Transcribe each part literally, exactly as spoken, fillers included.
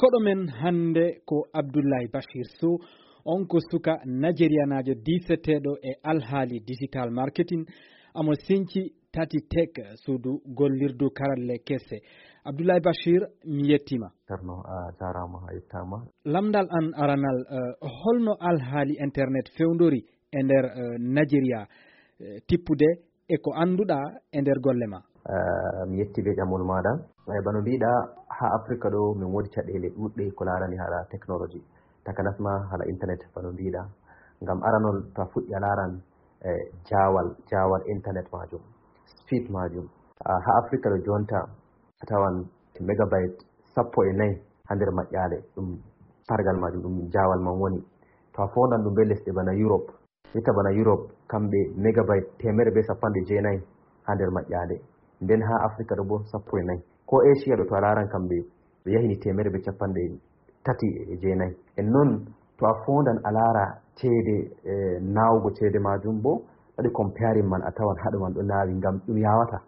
Koɗo men hannde ko Abdullahi Bashir Sow, on ko suka Nigerianaajo diiseteeɗo e alhaali digital marketing, amo sinci Tati Tech, suudu gollirdu karalle kese. Abdullahi Bashir, mi yettima. Cerno, a jarama, a yettama. Lamndal an aranal, eh, holno alhaali internet fewndori e nder, eh, Nigeria, eh, tippude e ko annduɗa e nder golle ma? Eh, mi yetti be ƴamol maɗa. Eh, bano mbiɗa, ha Afrika ɗo min wodi caɗele ɗuɗɗe ko larani hala technology, takanas ma hala internet bano mbiɗa. Ngam aranol, to a fuɗɗi a laran, eh, jawal, jawal internet majum, speed majum. Ah, ha Afrika ɗo jonta a tawan megabyte sappo e nayi ha nder maƴƴale, ɗum pargal majum, ɗum jawal man woni. To a fondan ɗum be lesɗe bana Europe, jotta bana Europe, kamɓe megabyte teemeɗɗe be sappanɗe jeenayi ha nder maƴƴale. Nden ha Afrika ɗo bo sappo e nayi. Ko Asia ɗo to a laran kamɓe ɓe yahini teemeɗɗe be capanɗe tati e jeenayi. En non to a fondan a lara ceede, eh, nawugo ceede majum bo, waɗi comparing man a tawan haɗo man ɗo nawi ngam ɗum yawata.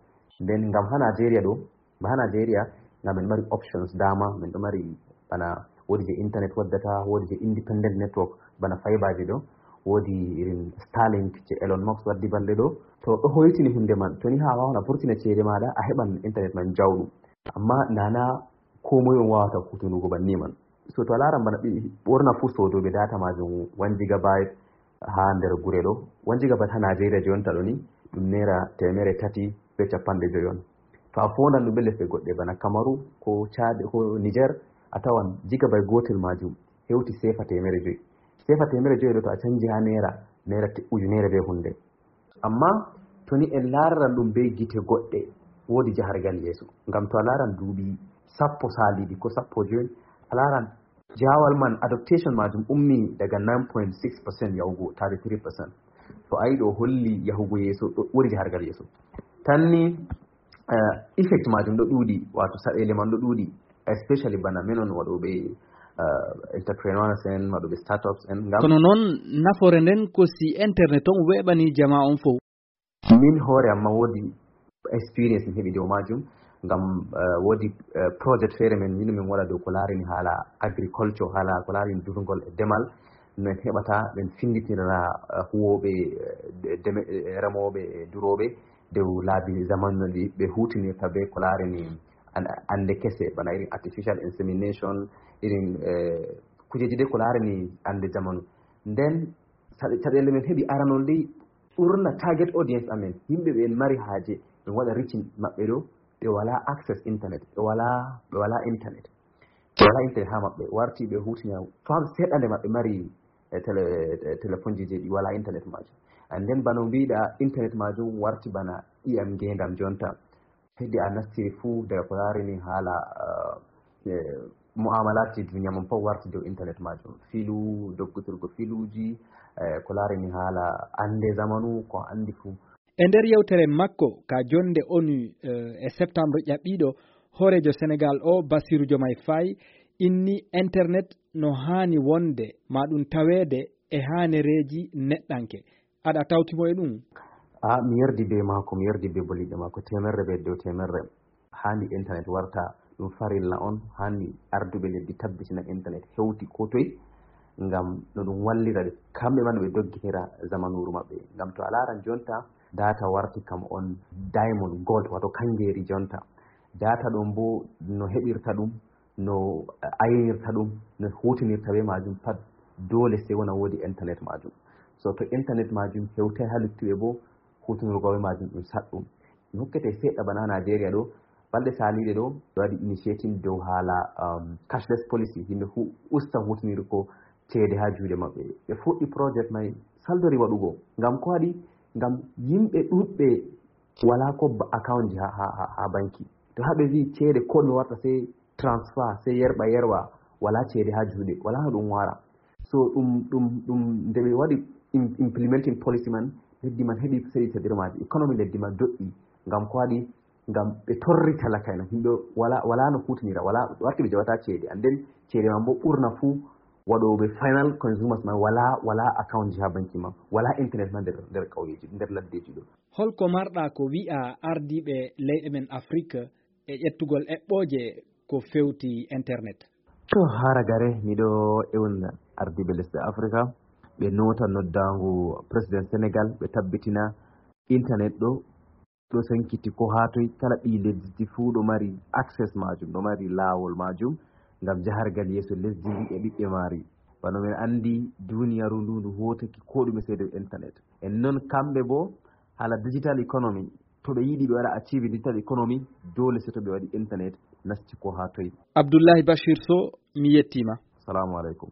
Nden ngam ha Nigeria ɗo, ba ha Nigeria, ngam en mari options dama, min ɗo mari bana wodi je internet waddata, wodi je independent network, bana fiber je ɗo, wodi irin Starlink je Elon Musk waddi balɗe ɗo. To ɗo hoytini hunde man, to ni ha wawan a vurtina ceede maɗa, a heɓan internet man jawɗum. Amma nana ko moy on wawata hutunugo banni man. So to a laran bana ɓi-, ɓorna fu sodoɓe data majum one gigabyte ha nder gure ɗo. One gigabyte ha Nigeria jonta ɗo ni, ɗum naira teemeɗɗe tati be capanɗe joyi on. To a fondan ɗum be lesɗe goɗɗe bana Kamaru, ko Chad, ko Niger, a tawan gigabyte gotel majum hewti sefa teemeɗɗe joyi. Sefa teemeɗɗe joyi ɗo to a canji ha naira, naira te-, ujunere be hunde. Amma to ni en lararan ɗum be gite goɗɗe, wodi jahargal yeeso. Ngam to a laran duuɓi sappo saliɗi ko sappo joyi, a laran jawal man, adaptation majum ummi daga nine point six percent yahugo thirty-three percent. To ayi ɗo holli yahugo yeeso, ɗo wodi jahargal yeeso. Tan ni, eh, effect majum ɗo ɗuɗi, wato saɗele man ɗo ɗuɗi, especially bana menon waɗoɓe, eh, entrepreneurs en, waɗoɓe startups en. Ngam kono noon, nafoore nden ko si internet on weeɓani jama on fof. Min hoore am ma wodi experience mi heɓi dow majum, ngam, eh, wodi, eh, project feere min, min, min waɗa dow ko larini haala agriculture, haala ko larini durngol e demal, no en heɓata ɓen finditira, eh, huwoɓe, eh, de-, deme-, eh, remoɓe e duroɓe dow laabi zamanu no ɗi ɓe hutinirta be ko larini an-, ande kese, bana irin artificial insemination, irin, eh, kujeji de ko larini ande zamanu. Nden saɗe-, caɗele min heɓi aranol dey, ɓurna target audience amen, yimɓe ɓe en mari haaje, min waɗa reaching maɓɓe ɗo, ɓe wala access internet, ɓe wala, ɓe wala internet. Ɓe wala internet ha maɓɓe, warti ɓe hutina fam seeɗa nde maɓɓe mari, eh, tele-, eh, telefonji je ɗi wala internet majum. And then bano mbiɗa internet majum warti bana ƴiyam ngendam jonta. Heddi a nastiri fuu daga ko larini haala, eh, eh, mu'amalatji duniya mon fof warti dow internet majum. Filu, doggutirgo filuji, eh, ko larini haala ande zamanu, ko andi fuu. E nder yewtere makko ka jonde ONU, eh, e septembre ƴaɓɓiiɗo, hooreejo Senegal o, Bassirou Diomaye Faye, inni internet no haani wonde ma ɗum taweede e haanereeji neɗɗanke. Aɗa tawti mo e ɗum? A, mi yerdi be maako, mi yerdi be boliɗɗe maako teemerre be dow teemerre. Haandi internet warta ɗum farilla on, haandi arduɓe leddi tabbitina internet hewti ko toy, ngam no ɗum wallira ɓe, kamɓe man ɓe dogginira zamanuru maɓɓe. Ngam to a laaran jonta, data warti kam on diamond, gold, wato kangeeri jonta. Data ɗon bo no heɓirta ɗum, no aynirta ɗum, no hutinirta be majum pat, dole sey wona wodi internet majum. So to internet majum hewtay ha luttuɓe bo, hutinirgo be majum ɗum saɗɗum. Mi hokkete seɗɗa bana ha Nigeria ɗo, balɗe saliɗe ɗo, ɓe waɗi initiating dow haala, um, cashless policy, yimɓe hu-, usta hutinirgo ceede ha juuɗe maɓɓe. Ɓe fuɗɗi project mai, saldori waɗugo. Ngam ko waɗi? Ngam yimɓe ɗuɗɓe wala ko ba-, account ji ha, ha, ha, ha banki. To ha ɓe vi ceede ko mi warta sey transfer, sey yerɓa yerwa, wala ceede ha juuɗe, wala no ɗum wara. So ɗum, ɗum, ɗum nde ɓe waɗi im-, implementing policy man, leddi man heɓi seɗi caɗirmaji, economy leddi man doɗɗi. Ngam ko waɗi? Ngam ɓe torri talaka'en, yimɓe wala, wala no hutinira, wala, warti ɓe jaɓata ceede. And then ceede man bo ɓurna fu waɗoɓe final consumers man wala, wala account ji ha banki man, wala internet man nder, nder ƙauyeji, nder laddeji ɗo. Holko marɗa ko wi'a ardiiɓe leyɗe men Afrik e ƴettugol eɓɓooje ko fewti internet? To haragare miɗo ewna ardiiɓe lesɗe Afrika, ɓe noota noddaangu président Sénégal, ɓe tabbitina internet ɗo ɗo sankiti ko haa toy, kala ɓii lesdi fuu ɗo mari access majum, ɗo mari laawol majum ngam jahargal yeeso lesdi ndi e ɓiɓɓe maari. Wano men anndi, duniyaaru ndu ndu hootaki ko ɗume sey dow internet. En non kamɓe bo, hala digital economy, to ɓe yiɗi ɓe waɗa achieve digital economy, dole sey to ɓe waɗi internet nasti ko haa toy. Abdullahi Bashir Sow, mi yettiima. Salamu aleykum.